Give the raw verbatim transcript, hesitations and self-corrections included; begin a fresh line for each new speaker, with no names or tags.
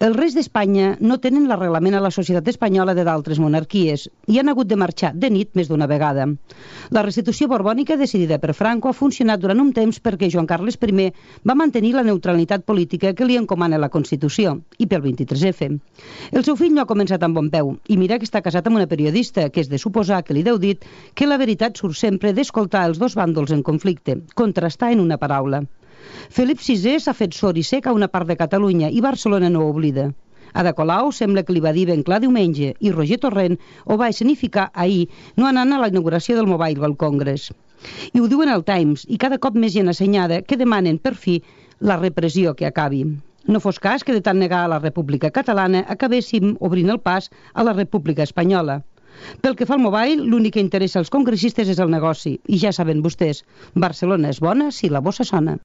Els reis d'Espanya no tenen l'arrelament a la societat espanyola de d'altres monarquies i han hagut de marxar de nit més d'una vegada. La restitució borbònica decidida per Franco ha funcionat durant un temps perquè Joan Carles I va mantenir la neutralitat política que li encomana la Constitució i pel vint-i-tres efa. El seu fill no ha començat amb bon peu i mira que està casat amb una periodista que és de suposar que li deu dit que la veritat surt sempre d'escoltar els dos bàndols en conflicte, contrastar en una paraula. Felip sisè s'ha fet sord i sec a una part de Catalunya i Barcelona no ho oblida. Ada Colau sembla que li va dir ben clar diumenge i Roger Torrent ho va escenificar ahir no anant a la inauguració del Mobile World Congress. I ho diuen al Times i cada cop més gent assenyada que demanen per fi la repressió que acabi. No fos cas que de tant negar a la República Catalana acabéssim obrint el pas a la República Espanyola. Pel que fa al Mobile, l'únic que interessa als congressistes és el negoci i ja saben vostès, Barcelona és bona si la bossa sona.